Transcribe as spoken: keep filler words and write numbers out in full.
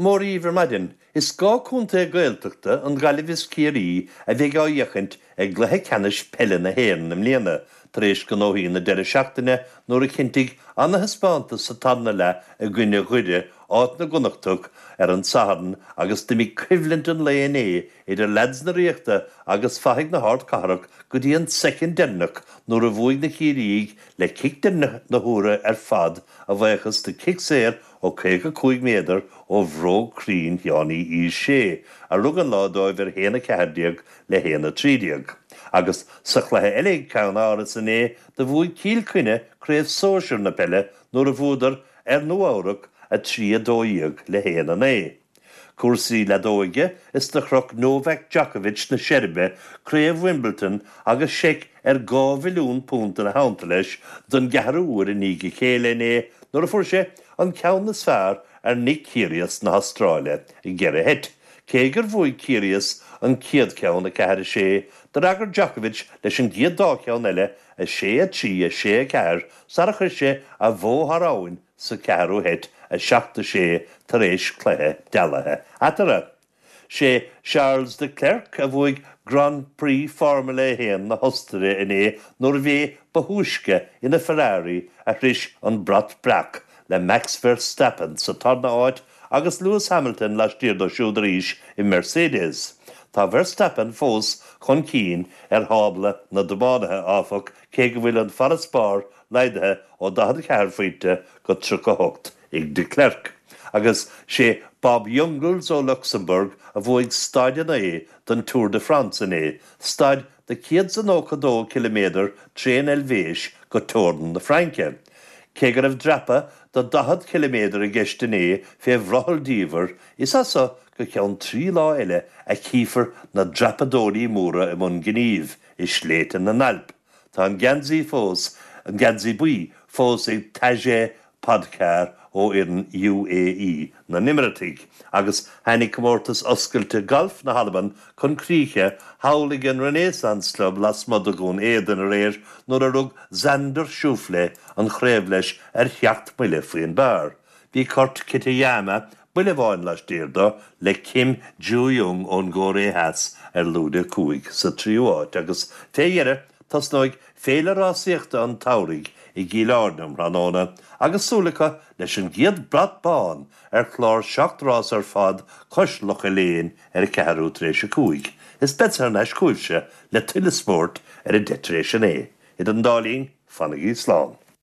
Mora dhaoibh ar maidin. Is dhá chontae Gaeltachta an Ghaillimh is Ciarraí a bheidh á fhéachaint i gcluiche ceannais peile na hÉireann i mbliana, tar éis gnóthaí na deireadh seachtaine nuair a chinntigh ana-thaispeántas sa tarna leath i gcoinne Dhoire áit na gConnachtach ar an Satharn agus d'imigh coimhlint an lae inné idir leaids na Ríochta agus fathaigh na hArdchathrach go dtí an soicind deireanach nuair a bhuaigh na Ciarraígh le cic deireanach na huaire ar fad a bhuíochas do chic saor ó caoga cúig méadar ó bhróg chruinn Sheánie Uí Shé, a rug an lá dóibh ar haon a ceathair déag le haon a trí déag. Agus sa chluiche eile ag Ceann Áras inné do bhuaigh Cill Chainnigh craobh sóisir na peile nuair a bhuadar ar Nua Eabhrac a trí a dó dhéag le haon a naoi. Cúrsaí leadóige is do chroch Novak Djokovic na Seirbe craobh Wimbledon agus seic ar dhá mhilliún punt ina theannta leis don gceathrú huair i ndiaidh a chéile inné nuair a fuair sé an ceann is fearr ar Nick Kyrgios na hAstráile i gceithre sheit. Cé gur bhuaigh Kyrgios an chéad cheann a ceathair a sé, d'fhreagair Djokovic leis an gcéad dá cheann eile a sé a trí a sé a ceathair sara chuir sé a bhó thar abhainn sa ceathrú sheit a seacht a sé tar éis cluiche dealaithe eatarthu. Sé Charles de Klerk a bhuaigh Grand Prix Formula a haon na hOstaire inné nuair a bhí ba thúisce ina Ferrari a shroich an brat breac le Max Verstappen sa tarna áit agus Lewis Hamilton laistiar dó siúd arís i Mercedes. Tá Verstappen fós chun cinn ar thábla na dtiománaithe áfach cé go bhfuil an farasbarr laghdaithe ó daichead a ceathair phointe go tríocha hocht ag de Klerk. Agus sé Bob Jungels ó Luxembourg a bhuaigh staid an lae don Tour de France inné, staid de céad is nócha dó ciliméadar trén Eilvéis go teorainn na Fraince. Cé go raibh dreapadh de daichead ciliméadar i gceist inné fé bhrothall diamhair, is as seo go ceann trí lá eile a chífear na dreapadóirí móra i mbun gnímh i sléibhte na nAlp. Tá an geansaí fós, an geansaí buí fós ag Tadej Pogačar ó fhoireann UAE na nÉimiréiteach, agus tháinig comórtas oscailte galf na hAlban chun críche thall ag an Renaissance Club lasmuigh de Dhún Éideann aréir nuair a rug Xander Schauffele an chraobh leis ar sheacht mbuille faoin bpar. Bhí Kurt Kitayama buille amháin laistiar dó le Kim Joo-young ón gCóiré Theas ar lúide cúig sa tríú háit agus fé dheireadh tosnóidh féile rásaíochta an tsamhraidh i gCill Airne um thráthnóna agus súil acu leis an gcéad brat bán ar chlár seacht rás ar fad cois Locha Léin ar a ceathrú tar éis a cúig. Is beidh thar n-ais chugaibhse le tuilleadh spóirt ar a deich tar éis a naoi. Idir an dá linn, fanaigí slán.